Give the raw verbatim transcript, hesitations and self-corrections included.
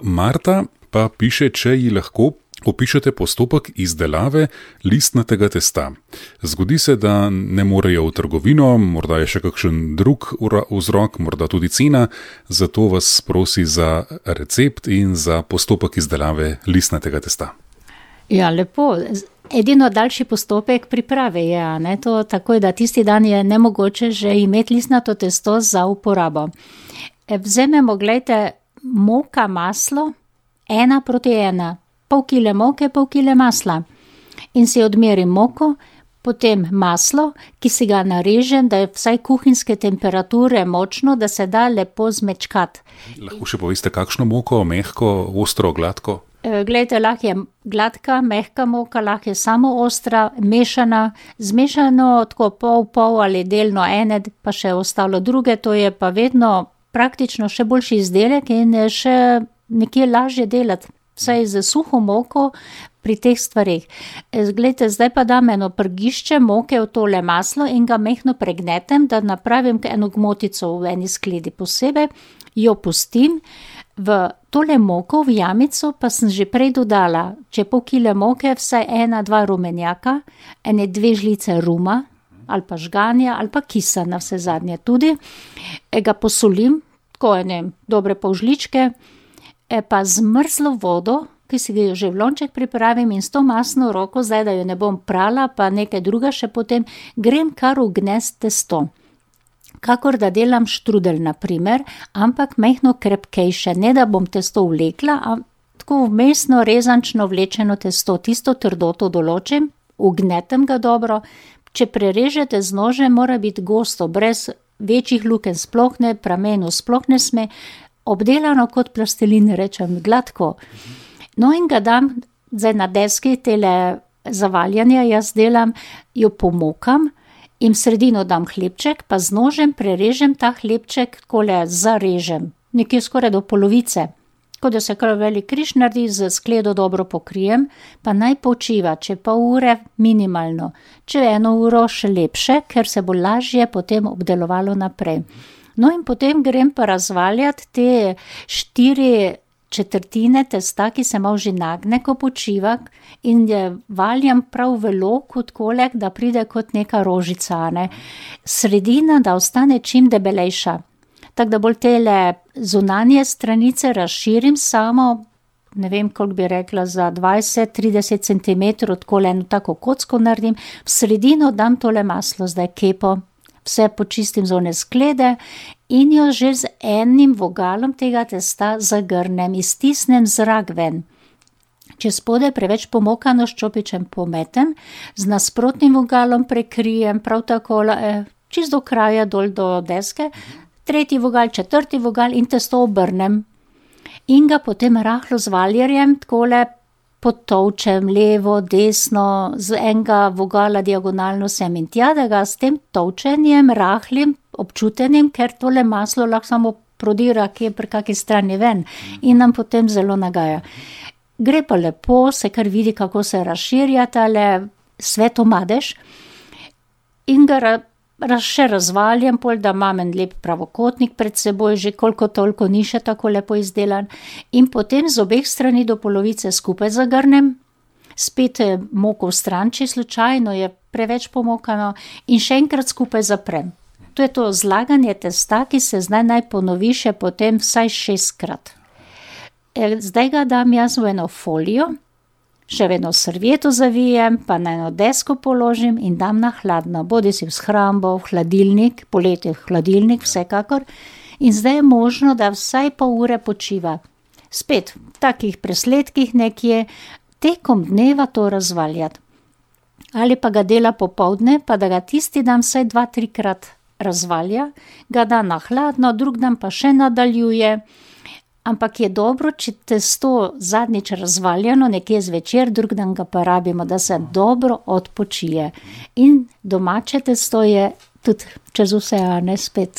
Marta pa piše, če ji lahko opišete postopek izdelave listnatega testa. Zgodi se, da ne morejo v trgovino, morda je še kakšen drug vzrok, morda tudi cena, zato vas prosi za recept in za postopek izdelave listnatega testa. Ja, lepo. Edino daljši postopek priprave je, ne, to takoj, da tisti dan je nemogoče že imeti listnato testo za uporabo. Vzememo, gledajte, moka, maslo, ena proti ena. Pol kile moke, pol kile masla. In si odmerim moko, potem maslo, ki si ga narežem, da je vsaj kuhinjske temperature močno, da se da lepo zmečkati. Lahko še poveste, kakšno moko, mehko, ostro, gladko? Glejte, lahko je gladka, mehka moka, lahko je samo ostra, mešana, zmešano tako pol, pol ali delno ene, pa še ostalo druge, to je pa vedno praktično še boljši izdelek in je še nekje lažje delati. Vsaj z suho moko pri teh stvareh. Glejte, zdaj pa dam eno prgišče moke v tole maslo in ga mehno pregnetem, da napravim eno gmotico v eni skledi posebej, jo pustim, v tole moko v jamico pa sem že prej dodala, če pol kile moke, vsaj ena, dva rumenjaka, ene dve žlice ruma, ali pa žganja, ali pa kisa na vse zadnje tudi, ga posolim, tako ene dobre pol žličke, pa zmrzlo vodo, ki si ga že v lonček pripravim in s to masno roko, zdaj da jo ne bom prala, pa nekaj druga še potem, grem kar v gnest testo. Kakor da delam štrudel, na primer, ampak mehno krepkejše, ne da bom testo vlekla, ampak tako vmesno rezančno vlečeno testo, tisto trdoto določim, ugnetem ga dobro, če prerežete z nožem, mora biti gosto, brez večjih lukenj sploh ne, pramenu sploh ne sme, obdelano kot plastelin, rečem, gladko. No in ga dam zdaj na deski tele zavaljanja, jaz delam, jo pomokam in v sredino dam hlebček, pa z nožem prerežem ta hlebček, takole zarežem, nekje skoraj do polovice. Ko da se kar velik križ naredi, z skledo dobro pokrijem, pa naj počiva, če pol ure minimalno, če eno uro še lepše, ker se bo lažje potem obdelovalo naprej. No in potem grem pa razvaljati te štiri četrtine testa, ki se malo že nagne, ko počiva, in valjam prav v loku tkolek, da pride kot neka rožica, ne. Sredina, da ostane čim debelejša. Tako da bolj tele zunanje stranice razširim samo, ne vem, koliko bi rekla, za dvajset do trideset centimetrov, takole eno tako kocko naredim, v sredino dam tole maslo, zdaj kepo, vse počistim z one sklede in jo že z enim vogalom tega testa zagrnem, iztisnem zrak ven. Če spode preveč pomokano s čopičem pometem, z nasprotnim vogalom prekrijem, prav tako eh, čist do kraja dol do deske, tretji vogal, četrti vogal in testo obrnem. In ga potem rahlo z valjarjem takole potolčem levo, desno, z enega vogala diagonalno sem in tja, da ga s tem tolčenjem, rahlim, občutenim, ker tole maslo lahko samo prodira kje pri kaki strani ven in nam potem zelo nagaja. Gre pa lepo, se kar vidi, kako se razširja tale svetomadež in ga ra- še razvaljam, pol da imam en lep pravokotnik pred seboj, že koliko toliko ni še tako lepo izdelan, in potem z obeh strani do polovice skupaj zagrnem, spet moko vstran, če slučajno je preveč pomokano, in še enkrat skupaj zaprem. To je to zlaganje testa, ki se zdaj naj ponovi še potem vsaj šestkrat. Zdaj ga dam jaz v eno folijo, še v eno servieto zavijem, pa na eno desko položim in dam na hladno, bodi si v shrambo, v hladilnik, poleti v hladilnik, vsekakor. In zdaj je možno, da vsaj pol ure počiva. Spet v takih presledkih nekje, tekom dneva to razvaljati. Ali pa ga dela popoldne, pa da ga tisti dan vsaj dva, trikrat razvalja, ga da na hladno, drug dan pa še nadaljuje. Ampak je dobro, če testo zadnjič razvaljano, nekje zvečer, drug dan ga pa rabimo, da se dobro odpočije. In domače testo je tudi čez vse, a ne spet